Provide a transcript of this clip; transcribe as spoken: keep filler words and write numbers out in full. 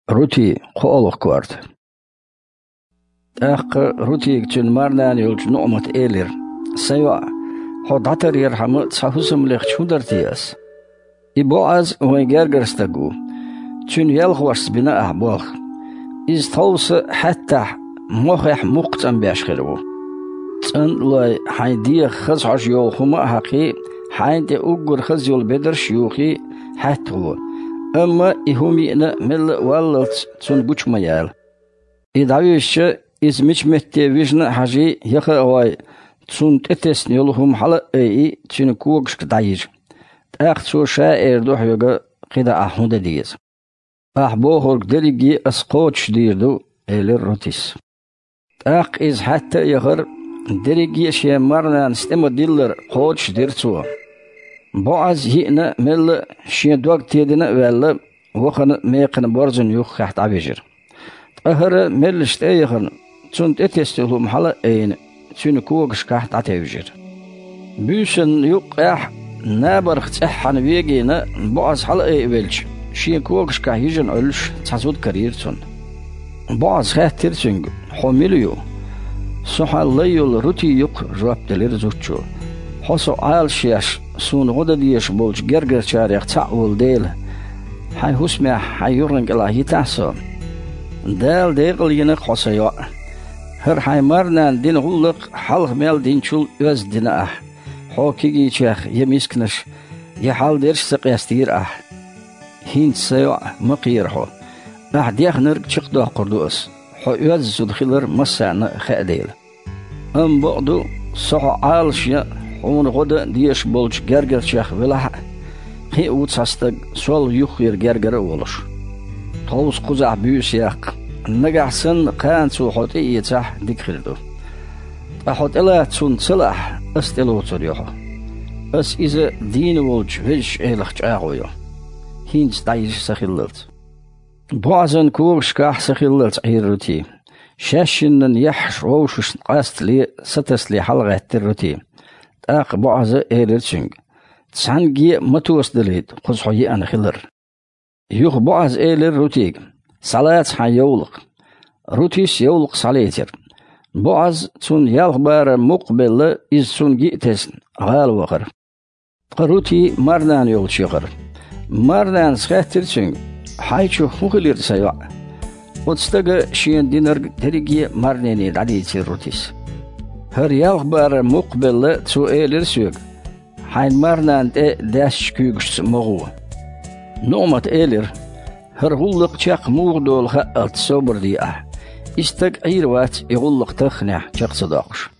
Рути, кхоалгӀа корта. ТӀаккха Рутига цуьнан марнана йолчу НуӀмата элира: «Сан йоӀ, хьо дӀатаръярхьама цхьа хӀусам лехча хӀун дара те ас? И БоӀаз вайн гергара стаг ву. Цуьнан ялхошца бина ахьа болх. Иза тховса хьаьттахь мохехь мукх цӀанбеш хир ву. ЦӀанлой, хьайн дегӀах хаза хьожа йолу хӀума а хьакхий, хьайна тӀе уггар хаза йолу бедарш а юхий, хьаьтта гӀо. Амма и хӀума йиъна мелла а валлалц цунна гучу ма яла. И дӀавижча, иза мича метте вижна а хьажий, яха а гӀой, цунна тӀетесна йолу хӀума хьала а айий, цуьнан когашка дӀайижа. ТӀаккха цо ша эр ду хьоьга, кхидӀа ахьа хӀун дан деза». «Ахьа бохург дерриге а ас кхочушдийр ду», — элира Рутис. ТӀаккха иза хьаьтта а яхара, дерриге а шен марнанас тӀе ма-диллара кхочушдира цо. БоӀаз йиъна мелла а, шен дог тедина а ваьлла, вахана мекхана борзана юххехь дӀавижира. Ткъа хӀара меллаша тӀе а яхана, цунна тӀетесна йолу хӀума хьала а айина, цуьнан когашкахь дӀатевжира. Буьйсанна юккъехь, набарх цӀеххьана вегийна, БоӀаз хьала а айа велча, шен когашкахь йижина Ӏуьллуш цхьа зуда карийра цунна. БоӀаза хаьттира цуьнга: «Хьо мила ю?» «Со хьан лай йолу Рути ю-кх», — жоп делира зудчо. «Хьо со Ӏалашъеш, суна гӀо дан дезаш болчу гергарчарех цхьаъ волу дела, хьайн хӀусамехь хьайн юханан кӀелахь йитахь со. Дала декъал йина-кх хьо, сан йоӀ. ХӀара хьайн марнана дина гӀуллакх хьалха мел динчул оьзда дина ахь. Хьо кегийчех я мисканаш, я хьалдерш а ца къестийра ахь. ХӀинца, сан йоӀ, ма кхера хьо. Ахь дехнарг чекхдоккхур ду ас, хьо оьзда зуда хилар массарна а хаьа дела. Амма бакъ ду, со хьо Ӏалашъян, хьуна гӀо дан дезаш болчу гергарчех велахь а, кхин а ву цхьа стаг, сол юххера гергара а волуш. Тховса кхузахь буьйса яккха, нагахь санна кхана цо хьо тӀеэцахь, дика хир ду. Ткъа хьо тӀелаца цунна ца лаахь, ас тӀелоцур ю хьо. Ас иза дийна волчу Везачу Элах чӀагӀо йо. ХӀинца дӀайижа сан хиллалц». БоӀазан когашкахь сан хиллалц Ӏийра Рути. Шаьшшиннан яххьаш вовшашна къастале, сатасале хьалагӀаьттира Рути. ТӀаккха БоӀаза элира цуьнга: «Цхьаьнгге а ма тосадалийта кхуза хьо еана хилар». Юха БоӀаза элира Рутига: «Схьалаца хьайн йовлакх». Рутис йовлакх схьалецира. БоӀаз, цунна ялх барам мукх а белла, иза цунна гиъ тесна, гӀала вахара. Ткъа Рути марнана йолчу яхара. Марнанас хаьттира цуьнга: «Хьайчу хӀун хилира, сан йоӀ?» Оцу стага шена динарг дерриге а марнене дӀадийцира Рутис. «ХӀара ялх барам мукх а белла, цо элира соьга: „Хьайн марнана тӀе даьсначу куьйгашца ма гӀо“». НуӀмата элира: «ХӀара гӀуллакх чекх муха долу хаалц собар де ахь. И стаг Ӏийр вац и гӀуллакх тахханехь чекх ца доккхуш».